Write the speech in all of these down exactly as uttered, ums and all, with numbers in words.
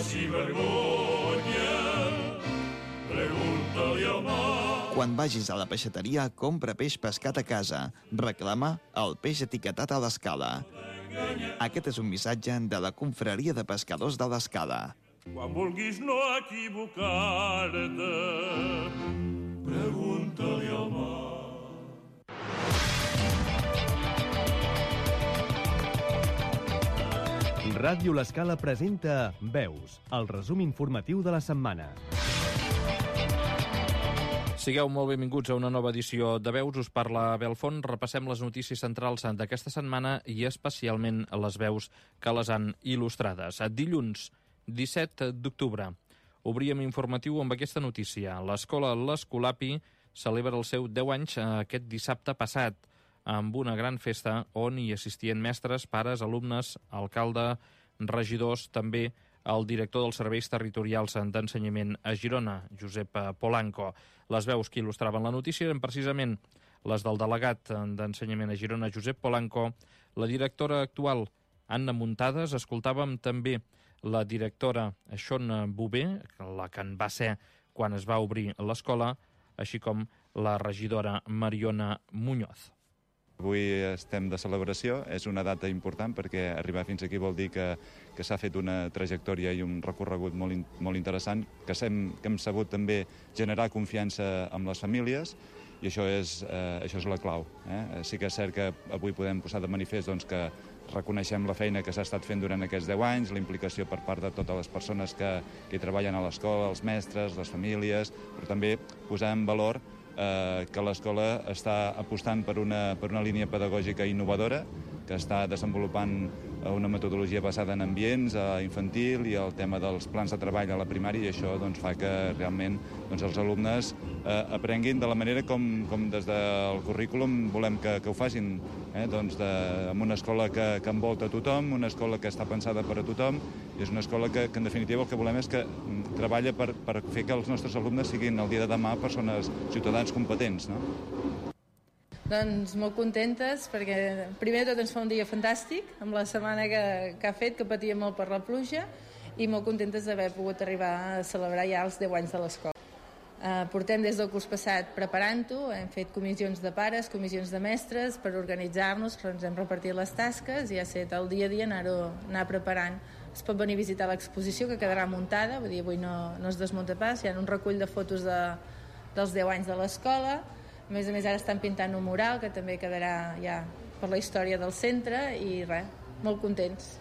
passi vergonya, pregunta-li al mar. Quan vagis a la peixateria, compra peix pescat a casa. Reclama el peix etiquetat a l'Escala. Aquest és un missatge de la Confraria de Pescadors de l'Escala. Quan vulguis no equivocar-te, pregunta-li al mar. Ràdio L'Escala presenta Veus, el resum informatiu de la setmana. Sigueu molt benvinguts a una nova edició de Veus. Us parla Belfont. Repassem les notícies centrals d'aquesta setmana i especialment les veus que les han il·lustrades. Dilluns, disset d'octubre, obríem informatiu amb aquesta notícia. L'escola l'Escolapi celebra els seus deu anys aquest dissabte passat amb una gran festa on hi assistien mestres, pares, alumnes, alcalde, regidors, també el director dels serveis territorials d'ensenyament a Girona, Josep Polanco. Les veus que il·lustraven la notícia eren precisament les del delegat d'ensenyament a Girona, Josep Polanco, la directora actual, Anna Muntades. Escoltàvem també la directora Xona Bové, la que en va ser quan es va obrir l'escola, així com la regidora Mariona Muñoz. Avui estem de celebració, és una data important perquè arribar fins aquí vol dir que, que s'ha fet una trajectòria i un recorregut molt, in, molt interessant, que, sem, que hem sabut també generar confiança amb les famílies i això és, eh, això és la clau. Eh? Sí que és cert que avui podem posar de manifest doncs, que reconeixem la feina que s'ha estat fent durant aquests deu anys, la implicació per part de totes les persones que, que hi treballen a l'escola, els mestres, les famílies, però també posar en valor Eh, que l'escola està apostant per una, per una línia pedagògica innovadora, que està desenvolupant una metodologia basada en ambients, a infantil i el tema dels plans de treball a la primària, i això doncs, fa que realment doncs, els alumnes eh, aprenguin de la manera com, com des del currículum volem que, que ho facin, eh? doncs de, amb una escola que, que envolta tothom, una escola que està pensada per a tothom, i és una escola que, que en definitiva el que volem és que treballa per, per fer que els nostres alumnes siguin el dia de demà persones, ciutadans competents, no? Doncs molt contentes perquè primer de tot ens fa un dia fantàstic amb la setmana que, que ha fet, que patia molt per la pluja, i molt contentes d'haver pogut arribar a celebrar ja els deu anys de l'escola. Uh, portem des del curs passat preparant-ho, hem fet comissions de pares, comissions de mestres per organitzar-nos, ens hem repartit les tasques i ha estat el dia a dia anar-ho anar preparant. Es pot venir a visitar l'exposició que quedarà muntada, vull dir, avui no, no es desmunta pas, hi ha un recull de fotos de, dels deu anys de l'escola. A més a més ara estan pintant un mural que també quedarà ja per la història del centre i res, molt contents.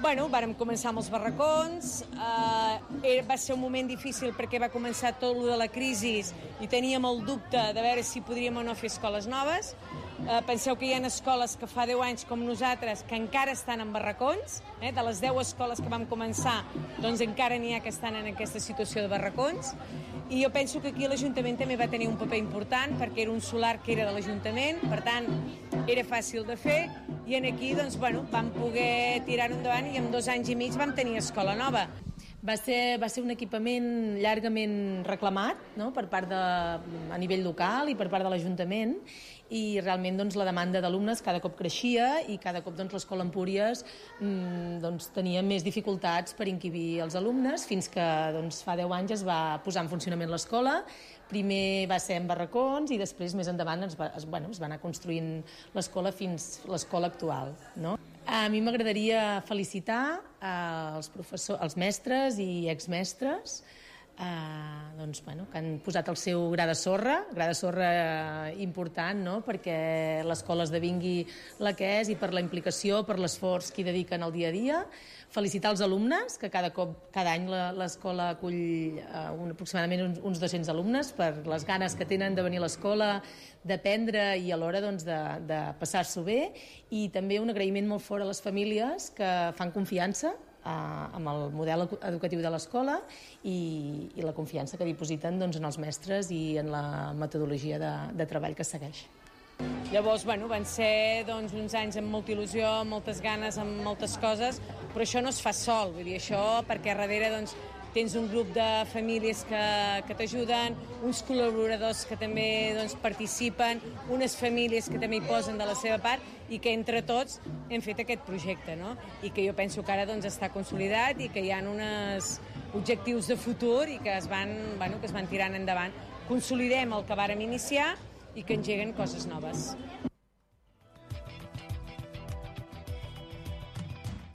Bueno, vàrem començar amb els barracons, eh, va ser un moment difícil perquè va començar tot lo de la crisi i teníem el dubte de veure si podríem o no fer escoles noves. Eh, penseu que hi ha escoles que fa deu anys com nosaltres que encara estan en barracons, eh, de les deu escoles que vam començar, doncs encara n'hi ha que estan en aquesta situació de barracons, i jo penso que aquí l'Ajuntament també va tenir un paper important perquè era un solar que era de l'Ajuntament, per tant era fàcil de fer, i en aquí doncs, bueno, vam poder tirar-ho endavant i en dos anys i mig vam tenir escola nova. Va ser, va ser un equipament llargament reclamat, no?, per part de, a nivell local i per part de l'Ajuntament, i realment doncs, la demanda d'alumnes cada cop creixia i cada cop doncs, l'Escola Empúries mmm, doncs, tenia més dificultats per inquibir els alumnes, fins que doncs, fa deu anys es va posar en funcionament l'escola. Primer va ser en barracons i després més endavant es va, es, bueno, es va anar construint l'escola fins l'escola actual, no? A mi m'agradaria felicitar els professors, els mestres i exmestres eh, doncs, bueno, que han posat el seu gra de sorra, gra de sorra important, no?, perquè l'escola esdevingui la que és i per la implicació, per l'esforç que hi dediquen al dia a dia. Felicitar els alumnes, que cada cop, cada any l'escola acull eh, un, aproximadament uns, uns dos-cents alumnes per les ganes que tenen de venir a l'escola, d'aprendre i alhora doncs, de, de passar-s'ho bé, i també un agraïment molt fort a les famílies que fan confiança eh, amb el model educatiu de l'escola i, i la confiança que dipositen doncs, en els mestres i en la metodologia de, de treball que segueix. Llavors, bueno, van ser doncs, uns anys amb molta il·lusió, amb moltes ganes, amb moltes coses, però això no es fa sol, vull dir, això perquè darrere doncs, tens un grup de famílies que, que t'ajuden, uns col·laboradors que també doncs, participen, unes famílies que també hi posen de la seva part i que entre tots hem fet aquest projecte, no? I que jo penso que ara doncs, està consolidat i que hi ha uns objectius de futur i que es van, bueno, que es van tirant endavant. Consolidem el que vàrem iniciar i que engeguen coses noves.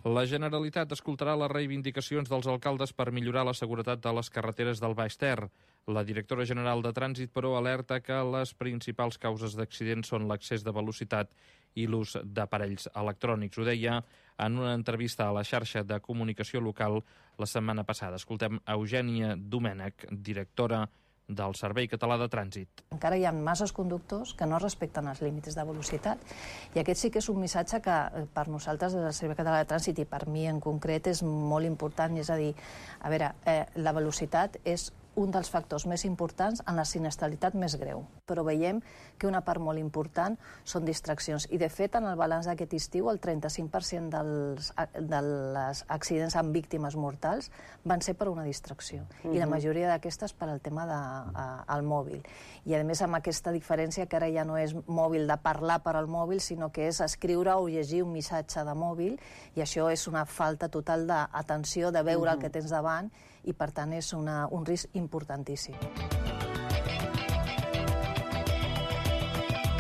La Generalitat escoltarà les reivindicacions dels alcaldes per millorar la seguretat de les carreteres del Baix Ter. La directora general de Trànsit, però, alerta que les principals causes d'accidents són l'excés de velocitat i l'ús d'aparells electrònics. Ho deia en una entrevista a la xarxa de comunicació local la setmana passada. Escoltem Eugènia Domènech, directora del Servei Català de Trànsit. Encara hi ha masses conductors que no respecten els límits de velocitat i aquest sí que és un missatge que per nosaltres des del Servei Català de Trànsit i per mi en concret és molt important, és a dir, a veure, eh, la velocitat és un dels factors més importants en la sinistralitat més greu, però veiem que una part molt important són distraccions i de fet en el balanç d'aquest estiu el trenta-cinc per cent dels, dels accidents amb víctimes mortals van ser per una distracció uh-huh. i la majoria d'aquestes per al tema del de, mòbil i a més amb aquesta diferència que ara ja no és mòbil de parlar per al mòbil sinó que és escriure o llegir un missatge de mòbil i això és una falta total d'atenció de veure uh-huh. el que tens davant i per tant és una, un risc importantíssim.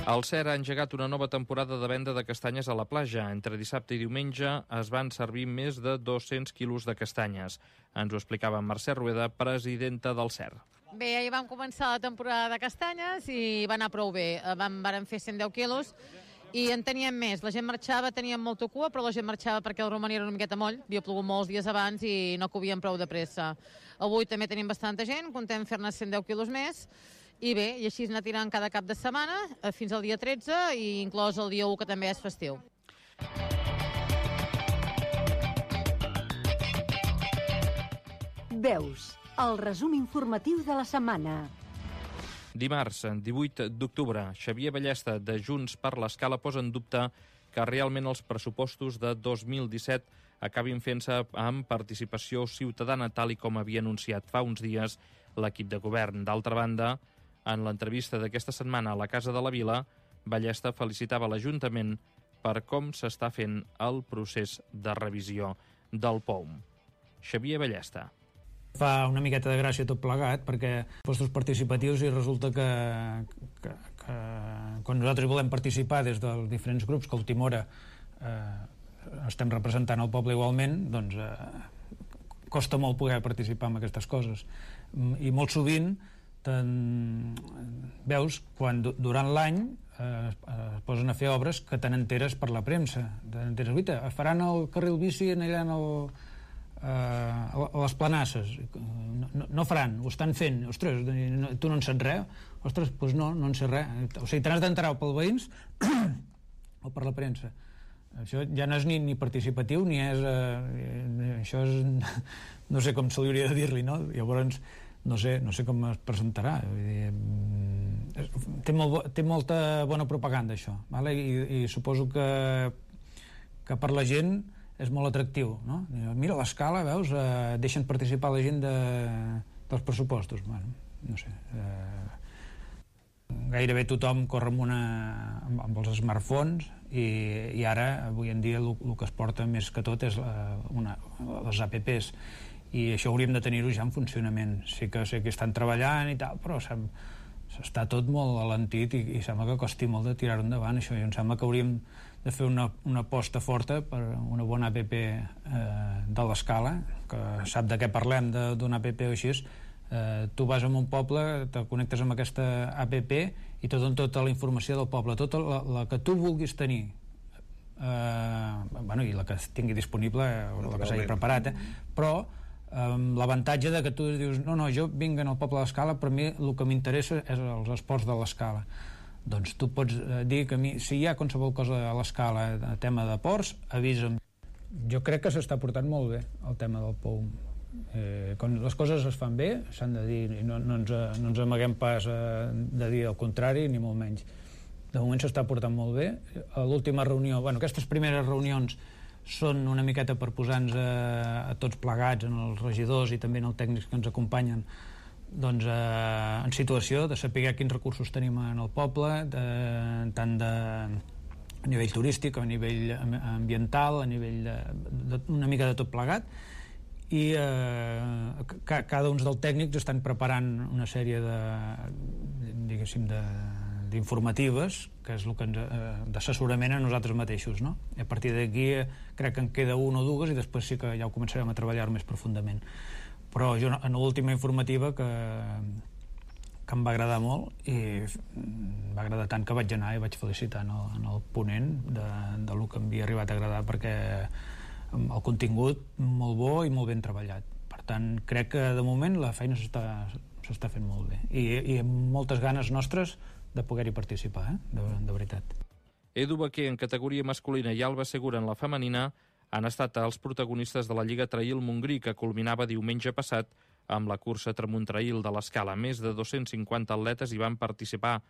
El C E R ha engegat una nova temporada de venda de castanyes a la platja. Entre dissabte i diumenge es van servir més de dos-cents quilos de castanyes. Ens ho explicava Mercè Rueda, presidenta del C E R. Bé, ahir vam començar la temporada de castanyes i va anar prou bé. Vam, vam fer cent deu quilos i en teníem més. La gent marxava, teníem molta cua, però la gent marxava perquè el romaní era una miqueta moll. Havia plogut molts dies abans i no cobíem prou de pressa. Avui també tenim bastanta gent, contem fer-ne cent deu quilos més. I bé, i així anar tirant cada cap de setmana fins al dia tretze i inclòs el dia u, que també és festiu. Veus, el resum informatiu de la setmana. Dimarts, divuit d'octubre, Xavier Ballesta, de Junts per l'Escala, posa en dubte que realment els pressupostos de dos mil disset acabin fent-se amb participació ciutadana, tal i com havia anunciat fa uns dies l'equip de govern. D'altra banda, en l'entrevista d'aquesta setmana a la Casa de la Vila, Ballesta felicitava l'Ajuntament per com s'està fent el procés de revisió del P O U M. Xavier Ballesta. Fa una miqueta de gràcia tot plegat, perquè postos participatius i resulta que, que, que quan nosaltres volem participar des dels diferents grups, que a última hora eh, estem representant el poble igualment, doncs eh, costa molt poder participar en aquestes coses. I molt sovint veus quan durant l'any eh, es posen a fer obres que te n'enteres per la premsa. Te n'enteres, guita, faran el carril bici allà en el Uh, a les planasses. No, no, no faran, ho estan fent. Ostres, no, tu no en saps res? Ostres, doncs no, no en sé res. O sigui, te n'has d'enterar pels veïns o per la premsa. Això ja no és ni, ni participatiu, ni és... Uh, això és... No sé com se li hauria de dir-li, no? Llavors, no sé, no sé com es presentarà. Vull dir, té, molt, té molta bona propaganda, això. Vale? I, i suposo que, que per la gent és molt atractiu, no? Mira l'escala, veus, eh, deixen participar la gent de, dels pressupostos. Bueno, no sé. Eh, gairebé tothom corre amb, una, amb, amb els smartphones i, i ara, avui en dia, el, el que es porta més que tot és la, una, les apps i això hauríem de tenir-ho ja en funcionament. Sí que sé que estan treballant i tal, però s'està tot molt alentit i, i sembla que costi molt de tirar-ho endavant, això. I em sembla que hauríem de fer una, una aposta forta per una bona app eh, de l'escala, que sap de què parlem d'una app o així. Eh, tu vas a un poble, te connectes amb aquesta app i te donen tota la informació del poble, tota la, la que tu vulguis tenir. Eh, bueno, i la que tingui disponible, o la que s'hagi preparat, eh? Però eh, l'avantatge de que tu dius, no, no, jo vinc al poble de l'Escala, però a mi el que m'interessa és els esports de l'Escala. Doncs tu pots dir que a mi, si hi ha qualsevol cosa a l'escala de tema de ports, avisa'm. Jo crec que s'està portant molt bé el tema del P O U M. Eh, quan les coses es fan bé, s'han de dir, i no, no, ens, no ens amaguem pas a, de dir el contrari, ni molt menys. de moment s'està portant molt bé. A l'última reunió, bueno, aquestes primeres reunions són una miqueta per posar-nos a, a tots plegats, en els regidors i també en els tècnics que ens acompanyen, doncs, eh, en situació de saber quins recursos tenim en el poble, de, tant de, a nivell turístic, a nivell ambiental, a nivell de, de, una mica de tot plegat, i eh, ca, cada un dels tècnics estan preparant una sèrie de, diguéssim, de d'informatives, que és el que ens, eh, d'assessorament a nosaltres mateixos, no? I a partir d'aquí eh, crec que en queda una o dues i després sí que ja ho començarem a treballar més profundament. Però jo en l'última informativa que, que em va agradar molt i em va agradar tant que vaig anar i vaig felicitar en el, en el ponent de, de lo que em havia arribat a agradar, perquè el contingut molt bo i molt ben treballat. Per tant, crec que de moment la feina s'està s'està fent molt bé i, i amb moltes ganes nostres de poder-hi participar, eh? de, de veritat. Edu Baquer en categoria masculina i Alba Segura en la femenina han estat els protagonistes de la Lliga Trail Montgrí, que culminava diumenge passat amb la cursa Tramunt-Trail de l'Escala. Més de dos-cents cinquanta atletes hi van participar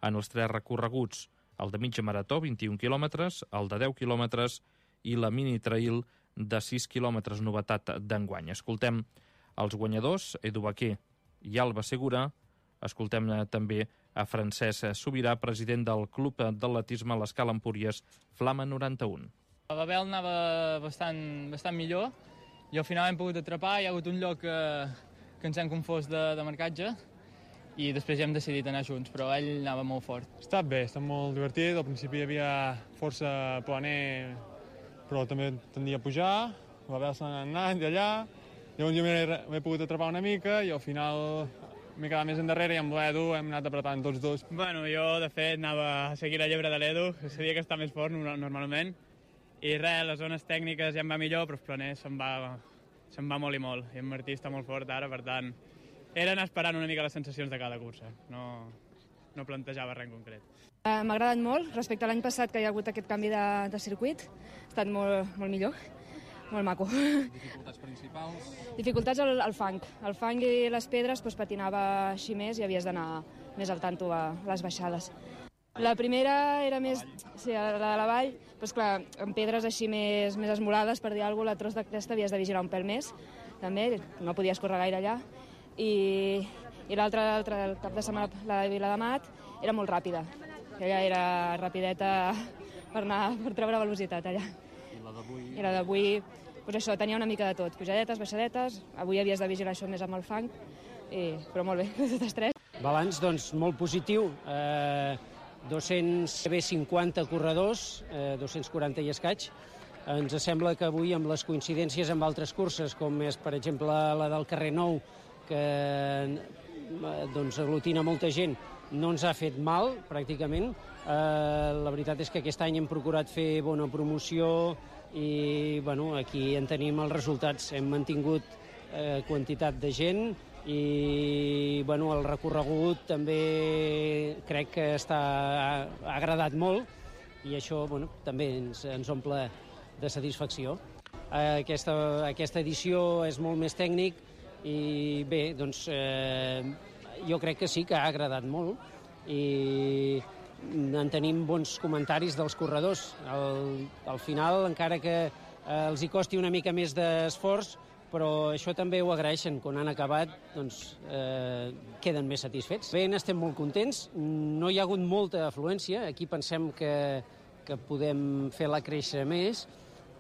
en els tres recorreguts, el de mitja marató, vint-i-un quilòmetres, el de deu quilòmetres i la mini trail de sis quilòmetres, novetat d'enguany. Escoltem els guanyadors, Edu Baquer i Alba Segura. Escoltem també a Francesc Sobirà, president del Club d'Atletisme a l'Escala Empúries, Flama noranta-un. La Bel anava bastant, bastant millor i al final hem pogut atrapar. Hi ha hagut un lloc que, que ens hem confós de, de marcatge i després ja hem decidit anar junts, però ell anava molt fort. Ha estat bé, ha estat molt divertit. Al principi hi havia força planer, però també tendia a pujar. La Bel s'ha anat d'allà, llavors jo m'he pogut atrapar una mica i al final m'he quedat més endarrere i amb l'Edu hem anat apretant tots dos. Bueno, jo, de fet, anava a seguir la llebre de l'Edu, que sabia que està més fort normalment, i res, les zones tècniques ja em va millor, però els planers se'n va, se'n va molt i molt, i en Martí està molt fort ara, per tant, era anar esperant una mica les sensacions de cada cursa, no, no plantejava res en concret. Uh, M'ha agradat molt, respecte a l'any passat que hi ha hagut aquest canvi de, de circuit, ha estat molt, molt millor. Molt maco. Dificultats principals? Dificultats al, al fang. El fang i les pedres doncs, patinava així més i havies d'anar més al tanto a les baixades. La primera era més... Sí, la de la vall, doncs clar, amb pedres així més, més esmolades, per dir alguna cosa, la tros de cresta havies de vigilar un pèl més, també, no podies córrer gaire allà. I, i l'altre cap de setmana, la de Viladamat, era molt ràpida. Ella era rapideta per, anar, per treure velocitat allà. I la d'avui, doncs això, tenia una mica de tot, pujadetes, baixadetes, avui havies de vigilar això més amb el fang, i, però molt bé, totes tres. Balanç, doncs, molt positiu, eh, dos-cents cinquanta corredors, eh, dos-cents quaranta i escaig. Ens sembla que avui, amb les coincidències amb altres curses, com és, per exemple, la del carrer Nou, que doncs, aglutina molta gent, no ens ha fet mal, pràcticament. Eh, la veritat és que aquest any hem procurat fer bona promoció, i bueno, aquí en tenim els resultats. Hem mantingut eh, quantitat de gent i bueno, el recorregut també crec que està, ha agradat molt i això bueno, també ens, ens omple de satisfacció. Eh, aquesta, aquesta edició és molt més tècnic i bé, doncs eh, jo crec que sí que ha agradat molt i en tenim bons comentaris dels corredors. Al, al final, encara que eh, els hi costi una mica més d'esforç, però això també ho agraeixen. Quan han acabat, doncs, eh, queden més satisfets. Bé, estem molt contents. No hi ha hagut molta afluència. Aquí pensem que, que podem fer-la créixer més,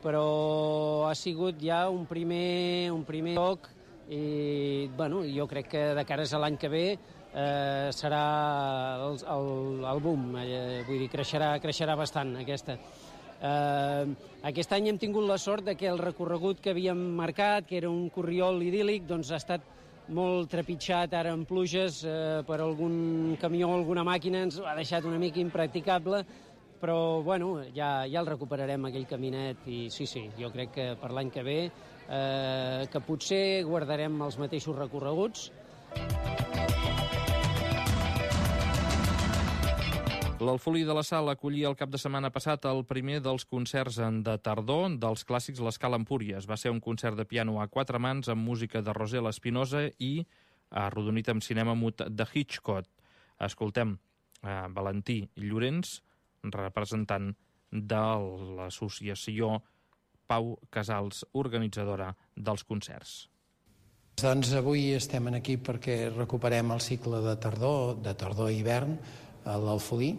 però ha sigut ja un primer, un primer toc i bueno, jo crec que de cares a l'any que ve Eh, serà el, el, el boom, eh, vull dir, creixerà, creixerà bastant aquesta. Eh, aquest any hem tingut la sort de que el recorregut que havíem marcat, que era un corriol idíl·lic, doncs ha estat molt trepitjat ara en pluges eh, per algun camió o alguna màquina, ens ha deixat una mica impracticable, però bueno, ja, ja el recuperarem aquell caminet i sí, sí, jo crec que per l'any que ve eh, que potser guardarem els mateixos recorreguts. L'Alfolí de la Sal acollia el cap de setmana passat el primer dels concerts de tardor dels clàssics l'Escala Empúries. Va ser un concert de piano a quatre mans amb música de Rosel Espinosa i arrodonit amb cinema mut de Hitchcock. Escoltem eh, Valentí Llorenç, representant de l'associació Pau Casals, organitzadora dels concerts. Doncs avui estem aquí perquè recuperem el cicle de tardor, de tardor i hivern a l'Alfolí.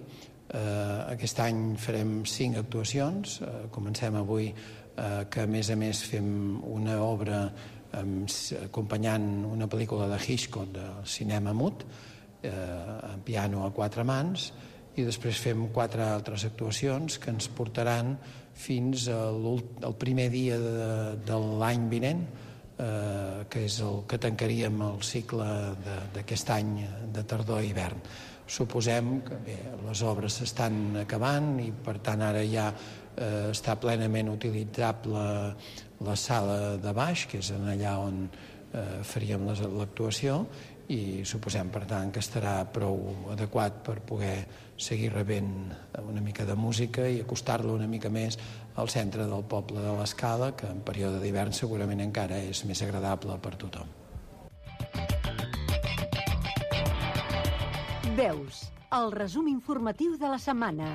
Eh, aquest any farem cinc actuacions. Eh, comencem avui eh, que a més a més fem una obra eh, acompanyant una pel·lícula de Hitchcock de cinema mut, eh, en piano a quatre mans, i després fem quatre altres actuacions que ens portaran fins al primer dia de, de l'any vinent, eh, que és el que tancaríem el cicle d'aquest any de tardor i hivern. Suposem que bé, les obres s'estan acabant i per tant ara ja eh, està plenament utilitzable la sala de baix, que és allà on eh, faríem l'actuació, i suposem per tant que estarà prou adequat per poder seguir rebent una mica de música i acostar-lo una mica més al centre del poble de l'Escala, que en període d'hivern segurament encara és més agradable per tothom. Veus, el resum informatiu de la setmana.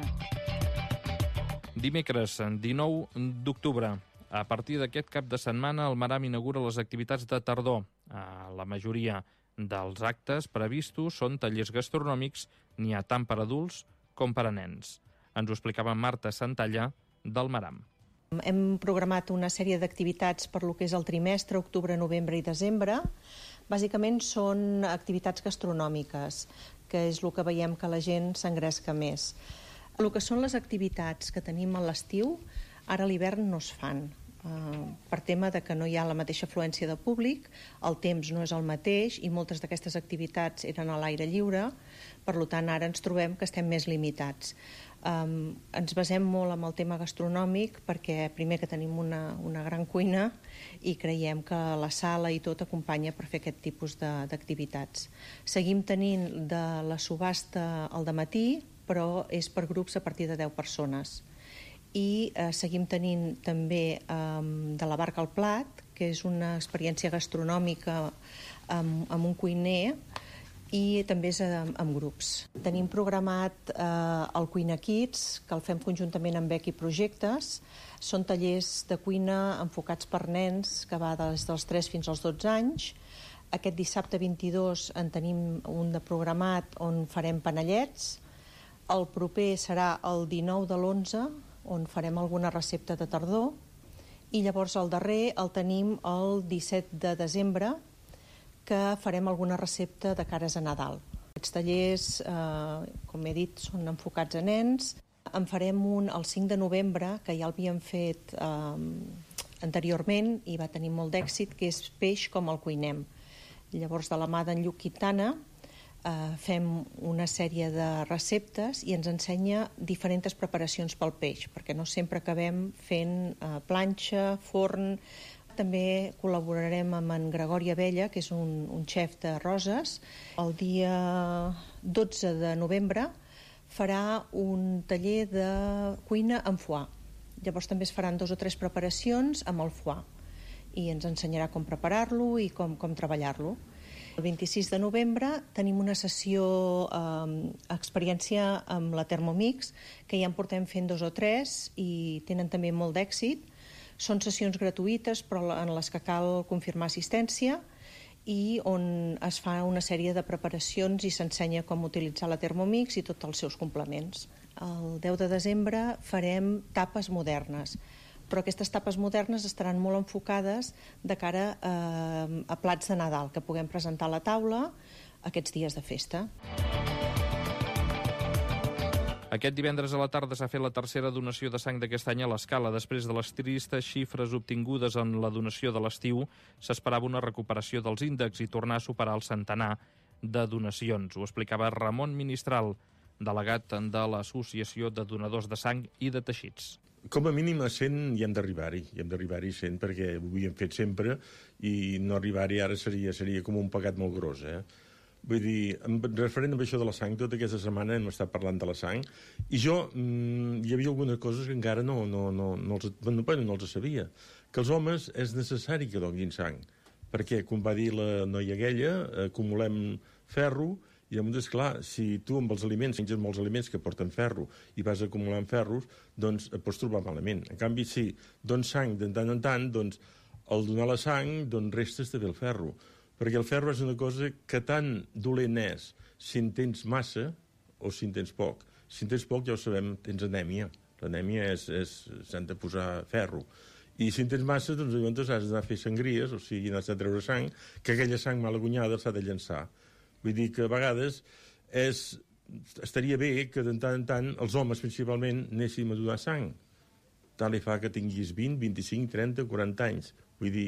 Dimecres, dinou d'octubre. A partir d'aquest cap de setmana, el Maram inaugura les activitats de tardor. La majoria dels actes previstos són tallers gastronòmics, n'hi ha tant per adults com per a nens. Ens ho explicava Marta Santalla, del Maram. Hem programat una sèrie d'activitats per lo que és el trimestre, octubre, novembre i desembre. Bàsicament són activitats gastronòmiques, que és el que veiem que la gent s'engresca més. El que són les activitats que tenim a l'estiu, ara a l'hivern no es fan. Uh, per tema de que no hi ha la mateixa afluència de públic, el temps no és el mateix i moltes d'aquestes activitats eren a l'aire lliure, per tant ara ens trobem que estem més limitats. Um, ens basem molt en el tema gastronòmic perquè primer que tenim una, una gran cuina i creiem que la sala i tot acompanya per fer aquest tipus d'activitats. Seguim tenint de la subhasta al dematí, però és per grups a partir de deu persones. I eh, seguim tenint també eh, de la barca al plat, que és una experiència gastronòmica amb, amb un cuiner, i també és amb, amb grups. Tenim programat eh, el Cuina Kids, que el fem conjuntament amb Becky Projectes. Són tallers de cuina enfocats per nens, que va des dels tres fins als dotze anys. Aquest dissabte vint-i-dos en tenim un de programat on farem panellets. El proper serà el dinou de l'onze, on farem alguna recepta de tardor, i llavors el darrer el tenim el disset de desembre, que farem alguna recepta de cares a Nadal. Aquests tallers, eh, com he dit, són enfocats a nens. En farem un el cinc de novembre, que ja l'havíem fet eh, anteriorment i va tenir molt d'èxit, que és peix com el cuinem. Llavors, de la mà d'en Lluc Quintana, Uh, fem una sèrie de receptes i ens ensenya diferents preparacions pel peix, perquè no sempre acabem fent uh, planxa, forn. També col·laborarem amb en Gregori Abella, que és un, un xef de Roses. El dia dotze de novembre farà un taller de cuina amb foie. Llavors també es faran dos o tres preparacions amb el foie i ens ensenyarà com preparar-lo i com, com treballar-lo. El vint-i-sis de novembre tenim una sessió eh, experiència amb la Thermomix, que ja en portem fent dos o tres i tenen també molt d'èxit. Són sessions gratuïtes, però en les que cal confirmar assistència i on es fa una sèrie de preparacions i s'ensenya com utilitzar la Thermomix i tots els seus complements. El deu de desembre farem tapes modernes, però aquestes tapes modernes estaran molt enfocades de cara eh, a plats de Nadal, que puguem presentar a la taula aquests dies de festa. Aquest divendres a la tarda s'ha fet la tercera donació de sang d'aquest any a l'Escala. Després de les tristes xifres obtingudes en la donació de l'estiu, s'esperava una recuperació dels índexs i tornar a superar el centenar de donacions. Ho explicava Ramon Ministral, delegat de l'Associació de Donadors de Sang i de Teixits. Com a mínim a cent hi hem d'arribar-hi, hi hem d'arribar-hi a cent perquè ho havíem fet sempre i no arribar-hi ara seria, seria com un pecat molt gros, eh? Vull dir, referent a això de la sang, tota aquesta setmana hem estat parlant de la sang i jo, mmm, hi havia algunes coses que encara no, no, no, no, els, no, no els sabia. Que els homes és necessari que donin sang, perquè, com va dir la noia aquella, acumulem ferro I llavors, clar, si tu amb els aliments menges molts aliments que porten ferro i vas acumulant ferros, doncs et pots trobar malament. En canvi, si dones sang de tant en tant, doncs al donar la sang, doncs restes també el ferro. Perquè el ferro és una cosa que tan dolent és si en tens massa o si en tens poc. Si en tens poc, ja ho sabem, tens anèmia. L'anèmia és, és s'han de posar ferro. I si en tens massa, doncs llavors has d'anar a fer sangries, o sigui, has de treure sang, que aquella sang mal agunyada s'ha de llançar. Vull dir que a vegades és, estaria bé que de tant en tant els homes principalment anéssim a donar sang. Tal li fa que tinguis vint, vint-i-cinc, trenta, quaranta anys. Vull dir,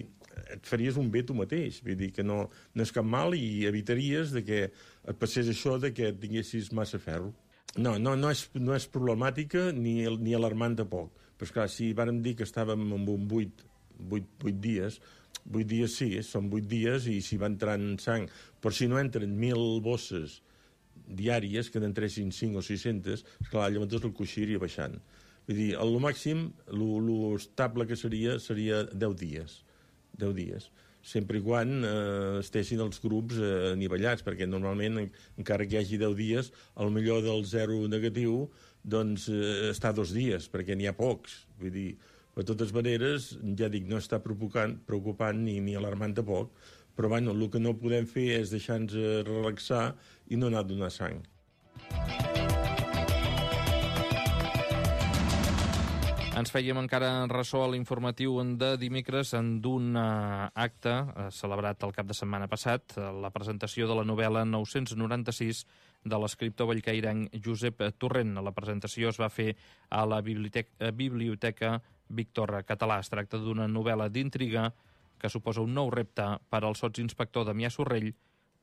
et faries un bé tu mateix. Vull dir que no, no és cap mal i evitaries de que et passés això de que tinguessis massa ferro. No, no, no, és, no és problemàtica ni, ni alarmant de poc. Però esclar, si vàrem dir que estàvem en un vuit, vuit, vuit dies, vuit dies sí, són vuit dies i si va entrant sang, però si no entren mil bosses diàries, que n'entressin cinc o sis-centes, esclar, llavors el coixí iria baixant. Vull dir, el màxim, l'estable que seria, seria deu dies. deu dies. Sempre i quan eh, estessin els grups eh, anivellats, perquè normalment, en, encara que hi hagi deu dies, el millor del zero negatiu doncs eh, està dos dies, perquè n'hi ha pocs. Vull dir, de totes maneres, ja dic, no està preocupant, preocupant ni, ni alarmant de poc, però bueno, el que no podem fer és deixar-nos relaxar i no anar a donar sang. Ens fèiem encara ressò a l'informatiu de dimecres d'un acte celebrat el cap de setmana passat, la presentació de la novel·la nou-cents noranta-sis de l'escriptor bellcairenc Josep Torrent. La presentació es va fer a la Biblioteca, Biblioteca Víctor Català. Es tracta d'una novel·la d'intriga que suposa un nou repte per al sotsinspector Damià Sorrell,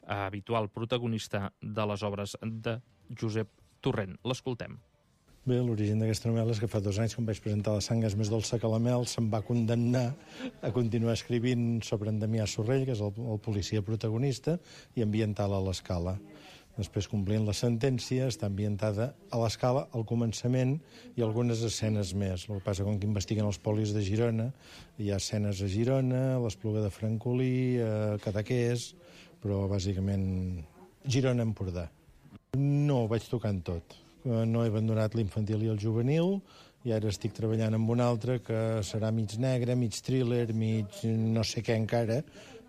habitual protagonista de les obres de Josep Torrent. L'escoltem. Bé, l'origen d'aquesta novel·la és que fa dos anys, quan vaig presentar La sang és més dolça que la mel, se'm va condemnar a continuar escrivint sobre en Damià Sorrell, que és el, el policia protagonista, i ambiental a l'Escala. Després, complint la sentència, està ambientada a l'Escala, al començament, i algunes escenes més. El que passa, com que investiguen els polis de Girona, hi ha escenes a Girona, a l'Espluga de Francolí, a Cadaqués, però bàsicament Girona-Empordà. No, ho vaig tocant tot. No he abandonat l'infantil i el juvenil, i ara estic treballant amb un altre que serà mig negre, mig thriller, mig no sé què encara,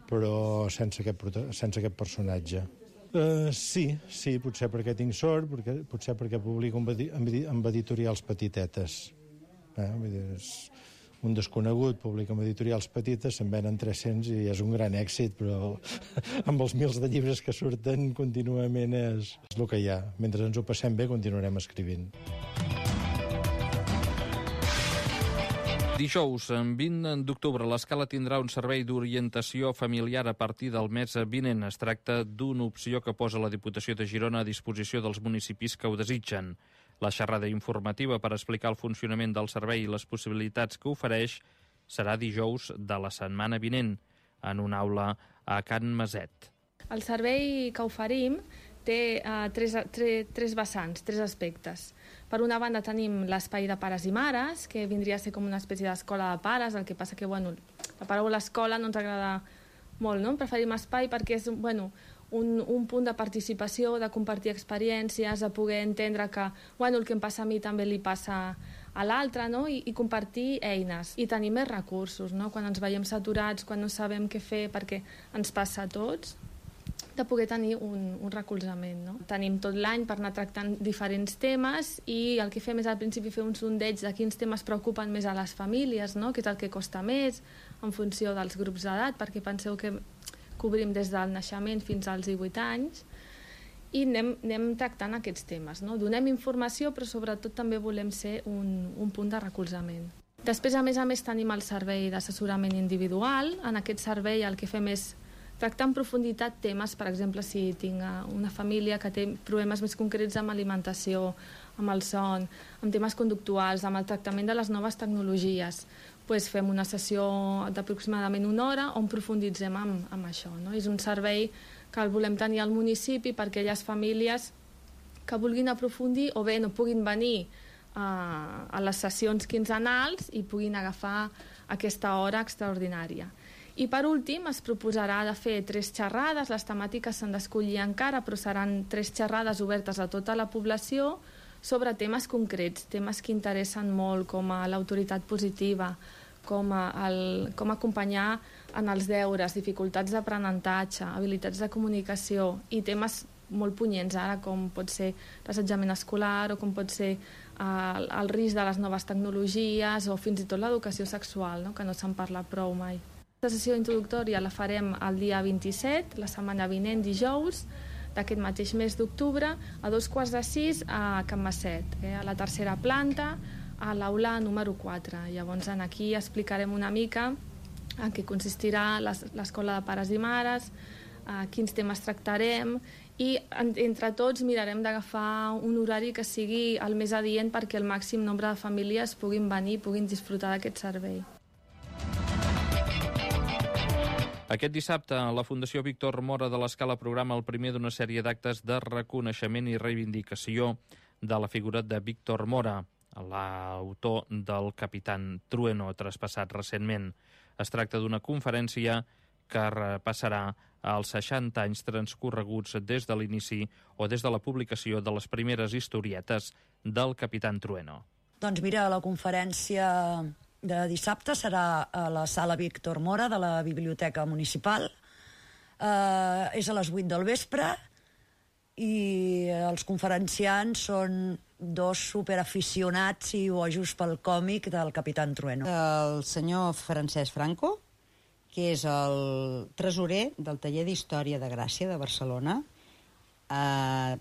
però sense aquest, sense aquest personatge. Uh, sí, sí, potser perquè tinc sort, perquè, potser perquè publico amb editorials petitetes. Eh? Vull dir, és un desconegut publica amb editorials petites, se'n venen tres-cents i és un gran èxit, però amb els mils de llibres que surten contínuament és, és el que hi ha. Mentre ens ho passem bé, continuarem escrivint. Dijous, vint d'octubre, l'Escala tindrà un servei d'orientació familiar a partir del mes vinent. Es tracta d'una opció que posa la Diputació de Girona a disposició dels municipis que ho desitgen. La xerrada informativa per explicar el funcionament del servei i les possibilitats que ofereix serà dijous de la setmana vinent, en una aula a Can Maset. El servei que oferim té uh, tres, tres, tres vessants, tres aspectes. Per una banda tenim l'espai de pares i mares, que vindria a ser com una espècie d'escola de pares, el que passa que bueno, la paraula escola no ens agrada molt, no? Preferim espai perquè és bueno, un, un punt de participació, de compartir experiències, de poder entendre que bueno, el que em passa a mi també li passa a l'altre, no? I, i compartir eines i tenir més recursos, no? Quan ens veiem saturats, quan no sabem què fer perquè ens passa a tots, de poder tenir un, un recolzament. No? Tenim tot l'any per anar tractant diferents temes i el que fem és al principi fer un sondeig de quins temes preocupen més a les famílies, no? Què és el que costa més en funció dels grups d'edat, perquè penseu que cobrim des del naixement fins als divuit anys i anem, anem tractant aquests temes. No? Donem informació, però sobretot també volem ser un, un punt de recolzament. Després, a més a més, tenim el servei d'assessorament individual. En aquest servei el que fem és tractar en profunditat temes, per exemple, si tinc una família que té problemes més concrets amb alimentació, amb el son, amb temes conductuals, amb el tractament de les noves tecnologies, doncs fem una sessió d'aproximadament una hora on profunditzem amb, amb això. No? És un servei que el volem tenir al municipi per aquelles famílies que vulguin aprofundir o bé no puguin venir a, a les sessions quinzenals i puguin agafar aquesta hora extraordinària. I per últim es proposarà de fer tres xerrades, les temàtiques s'han d'escollir encara, però seran tres xerrades obertes a tota la població sobre temes concrets, temes que interessen molt, com a l'autoritat positiva, com, a el, com acompanyar en els deures, dificultats d'aprenentatge, habilitats de comunicació i temes molt punyents ara, com pot ser l'assetjament escolar o com pot ser el, el risc de les noves tecnologies o fins i tot l'educació sexual, no? Que no se'n parla prou mai. La sessió introductòria la farem el dia vint-i-set, la setmana vinent, dijous, d'aquest mateix mes d'octubre, a dos quarts de sis a Can Masset, eh, a la tercera planta, a l'aula número quatre. Llavors, aquí explicarem una mica en què consistirà l'escola de pares i mares, eh, quins temes tractarem i entre tots mirarem d'agafar un horari que sigui el més adient perquè el màxim nombre de famílies puguin venir i puguin disfrutar d'aquest servei. Aquest dissabte, la Fundació Víctor Mora de l'Escala programa el primer d'una sèrie d'actes de reconeixement i reivindicació de la figura de Víctor Mora, l'autor del Capitán Trueno, traspassat recentment. Es tracta d'una conferència que repassarà els seixanta anys transcorreguts des de l'inici o des de la publicació de les primeres historietes del Capitán Trueno. Doncs mira, la conferència de dissabte serà a la sala Víctor Mora de la Biblioteca Municipal. Eh, és a les vuit del vespre i els conferenciants són dos superaficionats i bojos pel còmic del Capitán Trueno. El senyor Francesc Franco, que és el tresorer del taller d'Història de Gràcia de Barcelona, eh,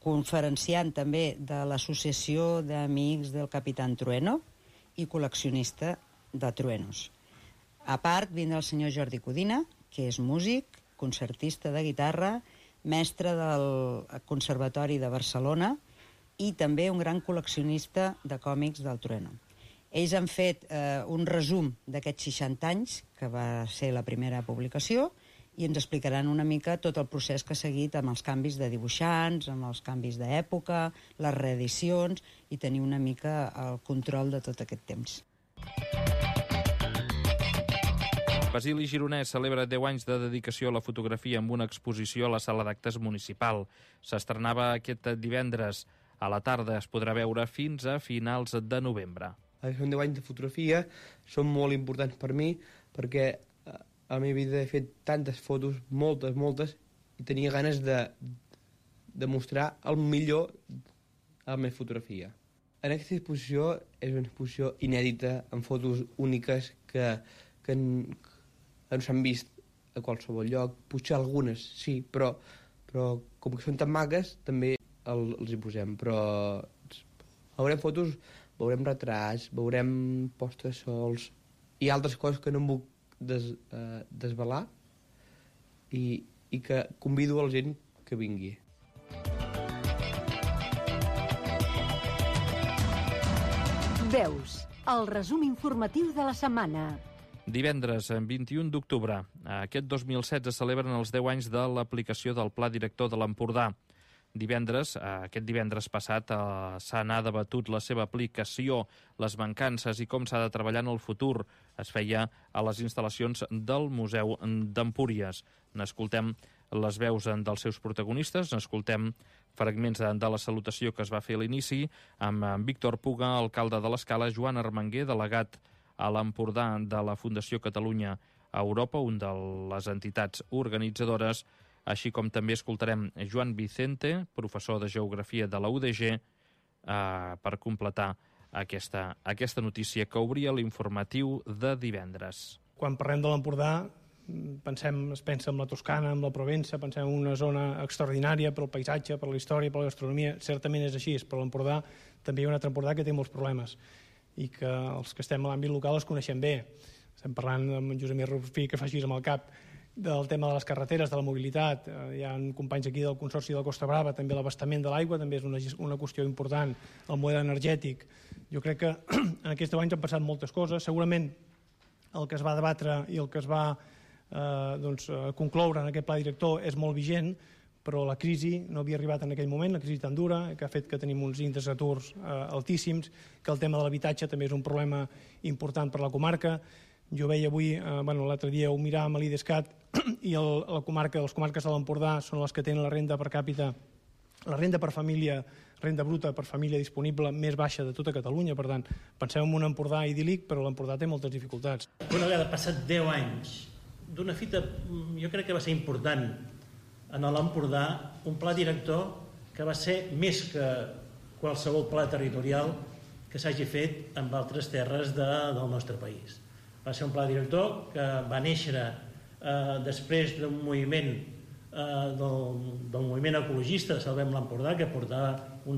conferenciant també de l'Associació d'Amics del Capitán Trueno i col·leccionista de truenos. A part, vindrà el senyor Jordi Codina, que és músic, concertista de guitarra, mestre del Conservatori de Barcelona i també un gran col·leccionista de còmics del Trueno. Ells han fet eh, un resum d'aquests seixanta anys, que va ser la primera publicació, i ens explicaran una mica tot el procés que ha seguit amb els canvis de dibuixants, amb els canvis d'època, les reedicions, i tenir una mica el control de tot aquest temps. Basili Gironès celebra deu anys de dedicació a la fotografia amb una exposició a la sala d'actes municipal. S'estrenava aquest divendres. A la tarda es podrà veure fins a finals de novembre. Són deu anys de fotografia, són molt importants per mi, perquè a la meva vida he fet tantes fotos, moltes, moltes, i tenia ganes de, de mostrar el millor a la meva fotografia. En aquesta exposició és una exposició inèdita, amb fotos úniques que, que, que no s'han vist a qualsevol lloc. Potser algunes, sí, però, però com que són tan maques, també el, els hi posem. Però veurem fotos, veurem retrats, veurem postes sols i altres coses que no em puc des, eh, desvelar i, i que convido a la gent que vingui. Veus, el resum informatiu de la setmana. Divendres, vint-i-un d'octubre, aquest dos mil setze celebren els deu anys de l'aplicació del Pla Director de l'Empordà. Divendres, aquest divendres passat, s'ha anat debatut la seva aplicació, les mancances i com s'ha de treballar en el futur. Es feia a les instal·lacions del Museu d'Empúries. N'escoltem les veus dels seus protagonistes, n'escoltem fragments de la salutació que es va fer a l'inici, amb Víctor Puga, alcalde de l'Escala, Joan Armenguer, delegat a l'Empordà de la Fundació Catalunya a Europa, un de les entitats organitzadores, així com també escoltarem Joan Vicente, professor de Geografia de la U D G, eh, per completar aquesta, aquesta notícia que obria l'informatiu de divendres. Quan parlem de l'Empordà, pensem, es pensa en la Toscana, en la Provença, pensem en una zona extraordinària pel paisatge, per la història, per la gastronomia. Certament és així, però l'Empordà també hi ha un altre Empordà que té molts problemes i que els que estem a l'àmbit local els coneixem bé. Estem parlant amb en Josep Rufí, que fa així amb el cap, del tema de les carreteres, de la mobilitat. Hi ha companys aquí del Consorci de la Costa Brava, també l'abastament de l'aigua, també és una, una qüestió important, el model energètic. Jo crec que en aquests deu anys han passat moltes coses. Segurament el que es va debatre i el que es va eh, doncs, concloure en aquest pla director és molt vigent, però la crisi no havia arribat en aquell moment, la crisi tan dura, que ha fet que tenim uns índexs d'aturs eh, altíssims, que el tema de l'habitatge també és un problema important per la comarca, Jo veia avui, eh, bueno, l'altre dia ho miràvem a l'IDESCAT i el, la comarca, les comarques de l'Empordà són les que tenen la renda per càpita, la renda per família, renda bruta per família disponible més baixa de tota Catalunya. Per tant, pensem en un Empordà idíl·lic, però l'Empordà té moltes dificultats. Una vegada passat deu anys d'una fita, jo crec que va ser important en l'Empordà, un pla director que va ser més que qualsevol pla territorial que s'hagi fet en altres terres de, del nostre país. Va ser un pla director que va néixer eh, després d'un moviment eh, del, del moviment ecologista de Salvem l'Empordà, que portava un